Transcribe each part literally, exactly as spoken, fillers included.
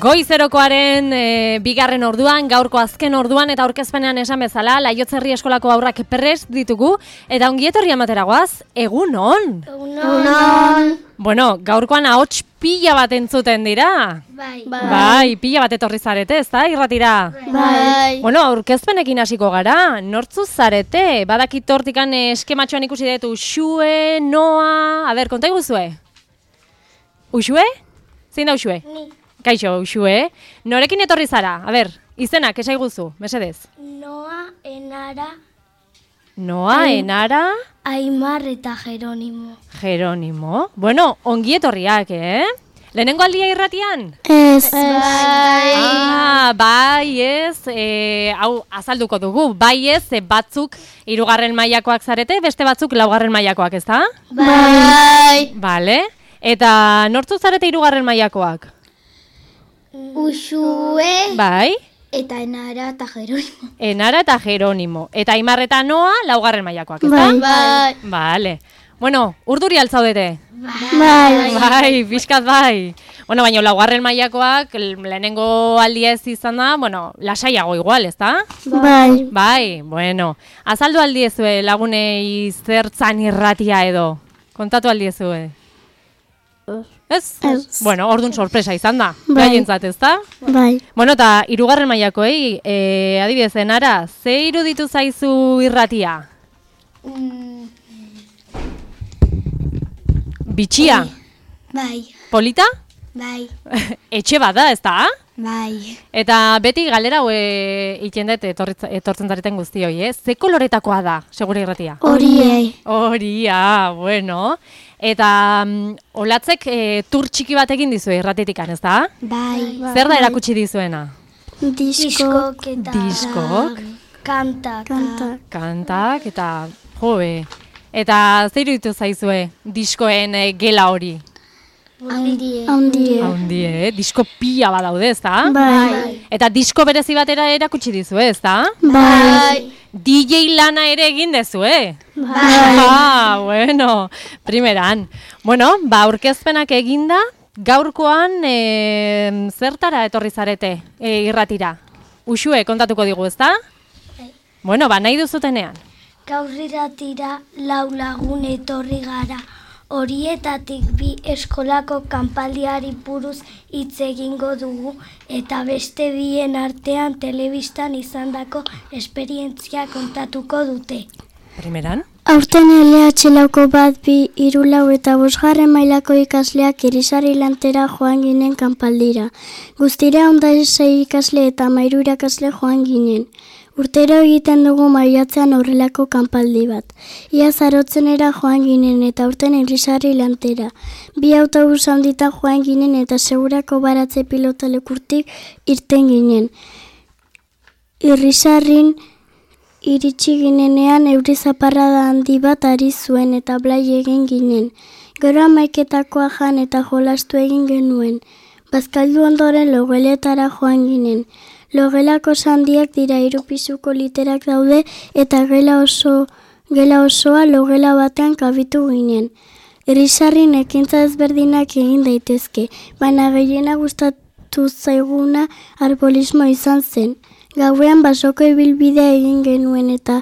Goizerokoaren e, bigarren orduan, gaurko azken orduan eta aurkezpenean esan bezala, Laiotzerri eskolako haurrak prest ditugu eta ongietorri amateragoaz, egun on! Egun on! Bueno, gaurkoan ahots pila bat entzuten dira. Bai. Bai, bai pila bat etorri zarete, ezta, irratira? Bai. Bueno, aurkezpenekin hasiko gara, nortzu zarete? Badakit hortikan eskematxoan ikusi dut Uxue, Noa, a ber, konta iguzue? Uxue? Zein da Uxue? Ni. Kaixo, Uxue, norekin etorri zara? A ber, izenak, esaiguzu, mesedez. Noa, Enara, Noa, Ai- Enara, Aimar eta Jeronimo. Jeronimo. Bueno, ongi etorriak, eh? Lehenengo aldia irratian? Ez. Bai. Ah, bai ez, e, hau azalduko dugu, bai ez, e, batzuk hirugarren mailakoak zarete, beste batzuk laugarren mailakoak, ezta? Bai. Vale. Eta nortzu zarete hirugarren mailakoak? Uxue Bai. eta Enara eta Jeronimo. Enara eta Jeronimo. Eta Aimar eta Noa laugarren mailakoak, ezta? Bai. Vale. Bueno, urduri altzaudete? Bai. Bai, pixkat bai. Bueno, baina laugarren mailakoak lehenengo aldia ez izan da, bueno, lasaiago igual, ezta? Bai. Bai, bueno. Azaldu aldiezue lagunei zertzan irratia edo. Kontatu aldiezue. Ez? Ez. Bueno, orduan sorpresa izan da. Bai. Gaientzat, ezta? Bai. Bueno, eta hirugarren mailakoei, eh, adibidez, Enara, ze iruditu zaizu irratia? Bitxia? Bai. Polita? Bai. Etxe bat da, ezta? Bai. Eta beti galera hau egiten dut etorritza- etortzen zareten guztioi, eh? Ze koloretakoa da, segure irratia? Horiei. Horia, bueno. Eta mm, olatzek e, tur txiki bat egin dizu irratitikan, ezta? Bai. Zer da erakutsi dizuena? Diskok eta Diskok. kantak. Kantak. Kantak eta joe. Eta zer iruditu zaizue diskoen e, gela hori? Handie. Handie. Handie, eh? Disko pila bat daude, ezta? Bai. Eta disko berezi batera erakutsi dizue, ezta? Bai. D J lana ere egin dezue. Bai. Ah, bueno, primeran. Bueno, ba, aurkezpenak eginda, gaurkoan e, zertara etorri zarete e, irratira? Uxue, kontatuko digu, ezta? Bai. Bueno, ba, nahi duzutenean. Gaur iratira lau lagun etorri gara. Horietatik bi eskolako kanpaldiari buruz hitz egingo dugu eta beste bien artean telebistan izandako esperientzia kontatuko dute. Primeran? Aurten L H lauko bat bi hiru lau eta bosgarren mailako ikasleak Irisarri lantera joan ginen kanpaldira. Guztira ondasei ikasle eta hamairu irakasle joan ginen. Urtero egiten dugu maiatzean horrelako kanpaldi bat. Ia zarotzenera joan ginen eta aurten Irisarri lantera. Bi autobus handitan joan ginen eta segurako baratze pilota lekurtik irten ginen. Irisarrin iritsi ginenean euri zaparrada handi bat ari zuen eta blai egin ginen. Gero hamaiketakoa jan eta jolastu egin genuen. Bazkaldu ondoren logeletara joan ginen. Logelako sandiak dira hiru pisuko literak daude eta gela oso gela osoa logela batean kabitu ginen. Irisarrin ekintza ezberdinak egin daitezke, baina gehiena gustatu zaiguna arbolismo izan zen. Gauean basoko ibilbidea egin genuen eta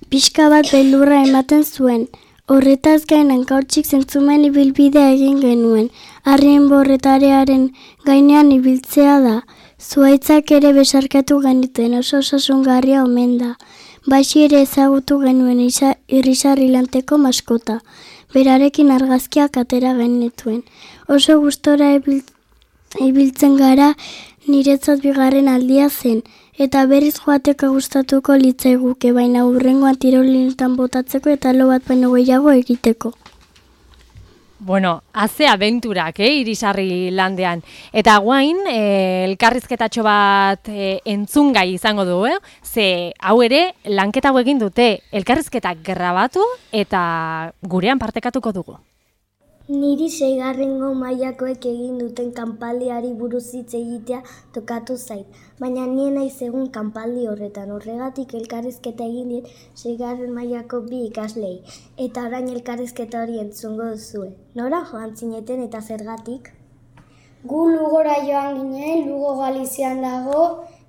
pixka bat beldurra ematen zuen. Horretaz gain hankautxik zentzumen ibilbidea egin genuen. Harrien borretarearen gainean ibiltzea da. Zuaitzak ere besarkatu genituen oso osasungarria omen da. Baxi ere ezagutu genuen Irisarri lanteko maskota. Berarekin argazkiak atera genituen. Oso gustora ibil, ibiltzen gara niretzat bigarren aldia zen. Eta berriz joateko gustatuko litzaiguke, baina hurrengoan tirolinetan botatzeko eta lo bat baino gehiago egiteko. Bueno, haze abenturak, eh, Irisarri landean. Eta guain, eh, elkarrizketatxo bat eh, entzungai izango du, eh? Ze hau ere lanketa hau egin dute, elkarrizketak grabatu eta gurean partekatuko dugu. Niri seigarrengo mailakoek egin duten kanpaldiari buruz hitz egitea tokatu zait, baina nien naiz egun kanpaldi horretan, horregatik elkarrizketa egin diet seigarren mailako bi ikaslei, eta orain elkarrizketa hori entzungo duzue. Nora joan zineten eta zergatik? Gu Lugora joan ginen, Lugo Galizian dago,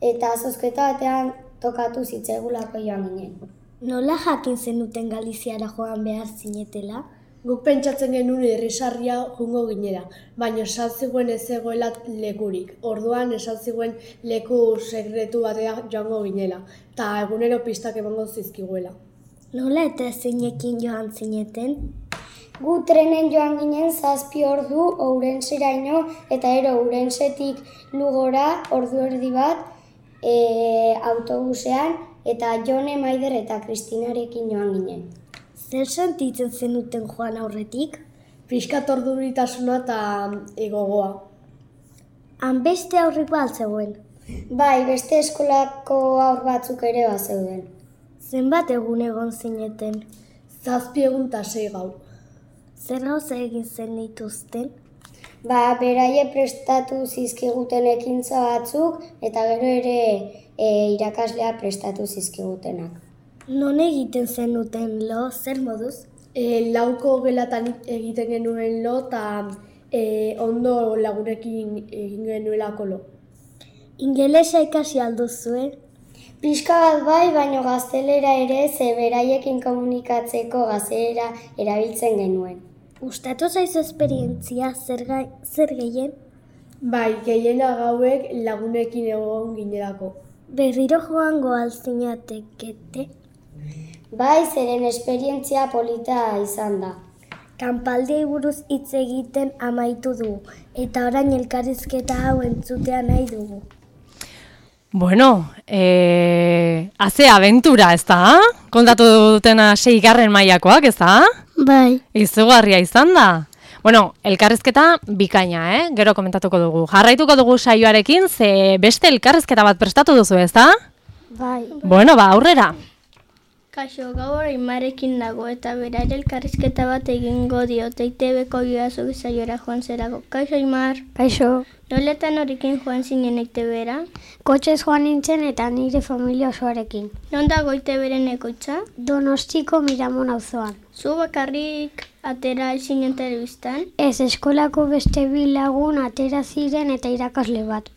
eta zozketa batean tokatu zitzaigulako joan ginen. Nola jakin zenuten Galiziara joan behar zinetela? Guk pentsatzen genuen irrisarria jungo ginela, baina esan ziguen ez zegoela lekurik. Orduan esan ziguen leku sekretu batea joango ginela, eta egunero pistak emango zizkiguela. Nola eta zeinekin joan zineten? Gu trenen joan ginen zazpi ordu Ourenseraino, eta ero Ourensetik Lugora ordu erdi bat e, autobusean, eta Jone, Maider eta Kristinarekin joan ginen. Zer sentitzen zenuten joan aurretik? Piskat orduritasuna eta egogoa. Han beste aurrik bat zegoen. Bai, beste eskolako aur batzuk ere bat zeuden. Zenbat egun egon zineten? Zazpi egun eta sei gau. Zer gauza egin zen dituzten? Ba, beraie prestatu zizkiguten ekintza batzuk, eta gero ere e, irakaslea prestatu zizkigutenak. Non egiten zenuten lo, zer moduz? E, lauko gelatan egiten genuen lo, eta e, ondo lagunekin egin genuelako lo. Ingelesa ikasi alduzue? Pixka bat bai, baino gaztelera ere ze beraiekin komunikatzeko gaztelera erabiltzen genuen. Gustatu zaizu esperientzia zer, gai, zer gehien? Bai, gehiena gauek lagunekin egon ginerako. Berriro joango alzinatekete? Bai, zeren esperientzia polita izan da. Kanpaldiei buruz hitz egiten amaitu dugu, eta orain elkarrizketa hau entzutea nahi dugu. Bueno, eh, haze abentura, ez da? Kontatu dutena seigarren mailakoak, ez da? Bai. Izugarria izan da. Bueno, elkarrizketa bikaina, eh? Gero komentatuko dugu. Jarraituko dugu saioarekin, ze beste elkarrizketa bat prestatu duzu, ez da? Bai. Bueno, ba, aurrera. Kaixo, gaur Aimarekin dago eta berare elkarrizketa bat egingo diote I T Bko Joazu saiora joan zerako. Kaixo, Aimar. Kaixo. Noletan horrekin joan zinen I T Bera? Kotxez joan nintzen eta nire familia osoarekin. Non dago I T Beren ekoitza? Donostiko Miramon auzoan. Zu bakarrik atera zinen telebistan? Ez, eskolako beste bi lagun atera ziren eta irakasle bat.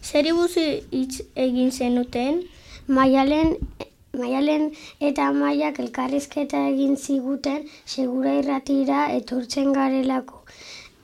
Zeri buzu hitz egin zenuten? Maialen Maialen eta Maiak elkarrizketa egin ziguten Segura Irratira etortzen garelako.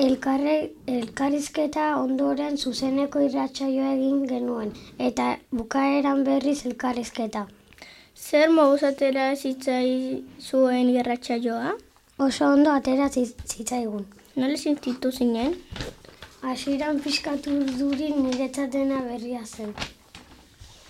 Elkarre, elkarrizketa ondoren zuzeneko irratsaioa egin genuen, eta bukaeran berriz elkarrizketa. Zer moduz atera zitzai zuen irratsaioa? Oso ondo atera zitzaigun. Nola sentitu zinen? Hasieran pixkatu duri niretzatena berria zen.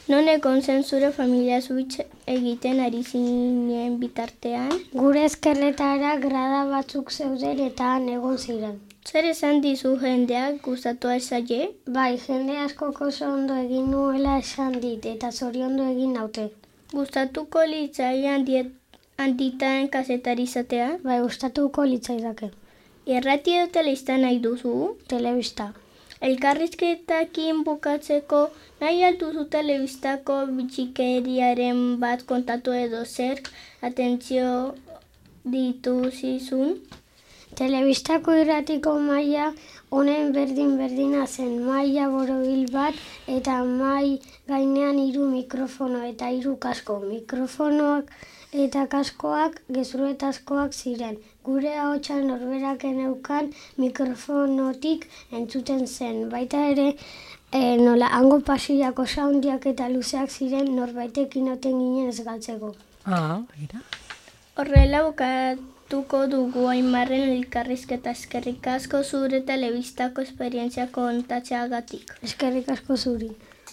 Non egon zen zure familia zuitz egiten ari zinen bitartean? Gure eskerretara grada batzuk zeuden eta han egon ziren. Zer esan dizu jendeak gustatu zaie? Bai, jende askok oso ondo egin nuela esan dit eta zoriondu egin naute. Gustatuko litzaian handitan kazetari izatea? Bai, gustatuko litzaidake. Irrati edo telebista nahi duzu? Telebista. Elkarrizketakin bukatzeko nahi alduzu telebistako bitxikeriaren bat kontatu edo zerk atentzio dituzizun? Telebistako irratiko maila honen berdin-berdina zen, maila borobil bat eta mai gainean hiru mikrofono eta hiru kasko. Mikrofonoak eta kaskoak gezurretazkoak ziren. Gure ahotsa norberaken eukan mikrofonotik entzuten zen. Baita ere, e, nola hango pasillako soundiak eta luzeak ziren norbaitekin oten ginen ez galtzeko. Ah, gira. Horrela bukatuko dugu Aimarren elkarrizketa. Eskerrik asko zure telebistako esperientzia kontatzeagatik. Eskerrik asko zuri.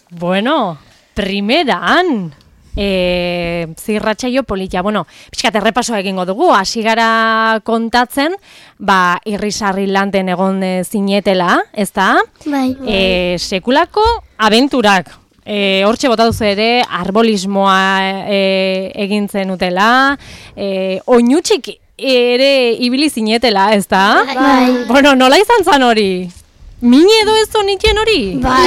Bueno, primeran! E, zirratsaio polita. Bueno, pixkat errepasoa egingo dugu, hasi gara kontatzen, ba, irrisarri lanten egon e, zinetela, ez da? Bai. E, sekulako abenturak. E, hortxe bota duzu ere, arbolismoa e, egin zenutela, e, oinutxik ere ibili zinetela, ez da? Bai. Bueno, nola izan zan hori? Mine edo ez zonitien hori? Bai.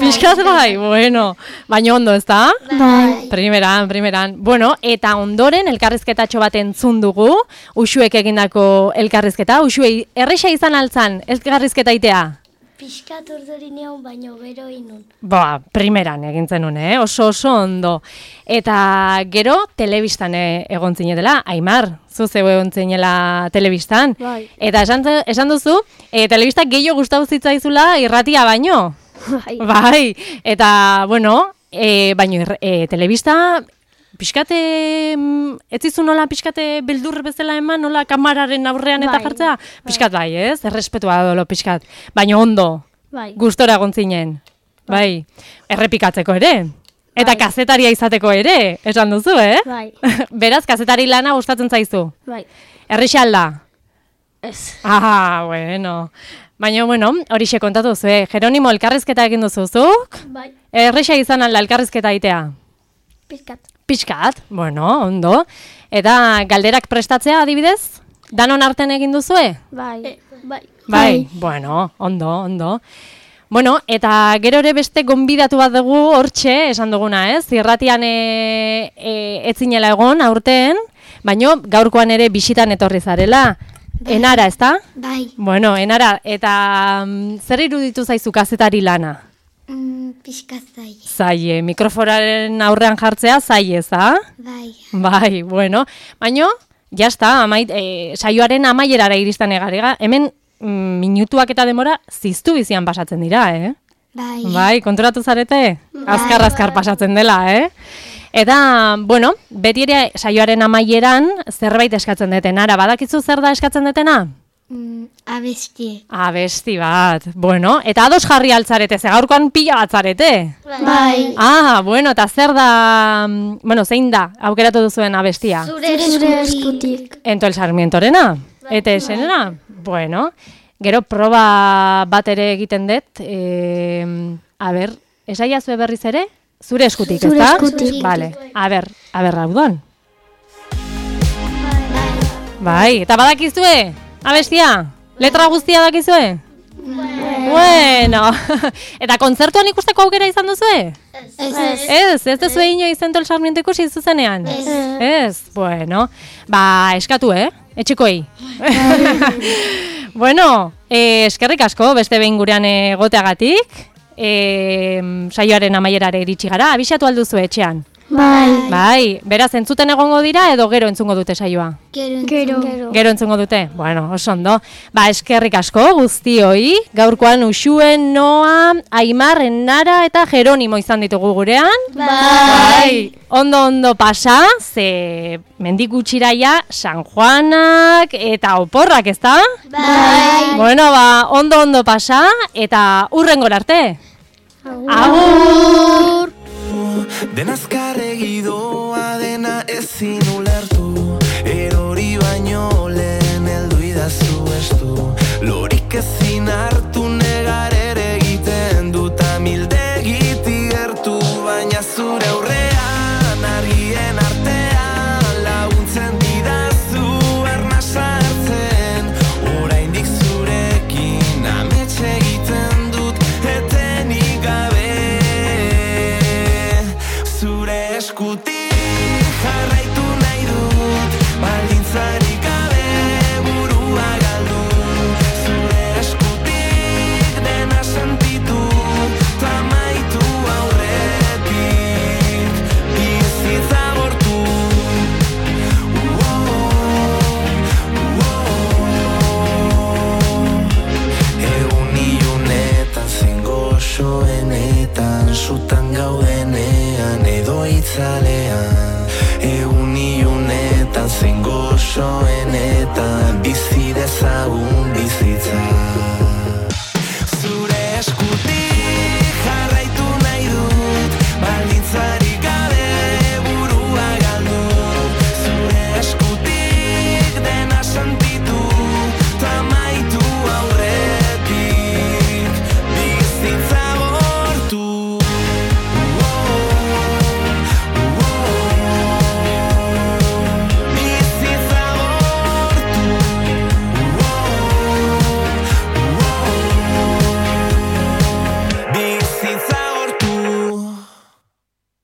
Piskat bai, bueno. Baina ondo, ez da? Bai. Primeran, primeran. Bueno, eta ondoren elkarrizketatxo bat entzun dugu, Uxuek egindako elkarrizketa. Uxuei, erresa izan altzan elkarrizketa itea? Piskat urduri neon, baino gero inun. Ba, primeran egin zenun, eh? Oso oso ondo. Eta gero, telebistan eh, egon zinetela, Aimar, zu zeu egon zinela telebistan. Bai. Eta esan, esan duzu, e, telebistak gehiago gustatu zitzaizula irratia baino. Bai. Bai, eta, bueno, e, baino, e, telebista, pixkate, ez zizu nola pixkate beldur bezala eman, nola kamararen aurrean eta Bai, jartzea? Pixkat bai, ez? Errespetua dolo pixkat. Baino ondo, Bai. gustora egon zinen. Bai, errepikatzeko ere. Eta Bai. kazetaria izateko ere, esan duzu, eh? Bai. Beraz, kazetari lana gustatzen zaizu. Bai. Errixalda. Ez. Ah, bueno. Baina, bueno, horixe kontatu zu, eh? Jeronimo, elkarrizketa egin duzuzuk? Bai. Erresa izan alda elkarrizketa itea? Pizkat. Pixkat, bueno, ondo. Eta galderak prestatzea adibidez? Danon arten egin duzue? Bai. Bai. Bai, bueno, ondo, ondo. Bueno, eta gero ere beste gonbidatu bat dugu hortxe, esan duguna, ez? Irratian e, e, etzinela egon aurten, baino gaurkoan ere bisitan etorri zarela. Enara, ezta? Bai. Bueno, Enara, eta mm, zer iruditu zaizu kazetari lana? Mm, Piskat zai. Zaie, mikrofonaren aurrean jartzea zaie, za? Bai. Bai, bueno, baino, jazta, amait, e, saioaren amaierara iristen egarega, hemen mm, minutuak eta demora ziztu bizian pasatzen dira, eh? Bai. Bai, konturatu zarete? Azkar-azkar pasatzen dela, eh? Eta, bueno, beti ere saioaren amaieran zerbait eskatzen deten. Ara, badakizu zer da eskatzen detena? Mm, abestie. Abesti bat, bueno, eta ados jarri altzarete, ze gaurkoan pila bat zarete. Bai. Ah, bueno, eta zer da, mm, bueno, zein da, aukeratu duzuen abestia? Zure eskutik. Ento el Sarmientorena? Eta esenena? Bueno, gero proba bat ere egiten dut, e, a ber, esaiazue berriz ere? Zure eskutik, Zure ezta? eskutik. Vale, a ber, a ber, raudon. Bai, eta badakizue? Abestia? Letra guztia dakizue? Bueno, eta kontzertuan ikusteko aukera izan duzue? Ez. Ez, ez duzue inoiz Ento el Sarmiento ikusi zuzenean? Ez. Ez, bueno, ba, eskatu, eh? Etxikoei. Bueno, eh, eskerrik asko, beste behin gurean egoteagatik. E, saioaren amaierare iritsi gara, abisatu alduzu etxean. Bai. Bai, beraz entzuten egongo dira edo gero entzungo dute saioa? Gero. Gero. Gero entzungo dute? Bueno, oso ondo. Ba, eskerrik asko guztioi, gaurkoan Uxuen, Noa, Aimar, Enara eta Jeronimo izan ditugu gurean. Bai. Ondo ondo pasa, ze mendik gutxiraia San Juanak eta oporrak, ezta? Bai. Bueno, ba, ondo ondo pasa eta hurrengora arte. Agur! Denazkarregi doa dena ezin ulertu, erori baino lehen heldu idazu estu, lorik ezin hartu negar ere egiten dut amildegiti gertu, baina zure aurrean argien artean laguntzen didazu ernasa hartzen, oraindik zurekin ametxe egiten dut etenik gabe. Zure eskutik jarraitu nahi dut, baldintzarik gabe burua galdu. Zure eskutik dena sentitu, tamaitu aurretik, bizitza bortu. Egun ilunetan zein goxoenetan, sutan gaudenean edo itzalean. Egun ilunetan zein goxoenetan, bizi dezagun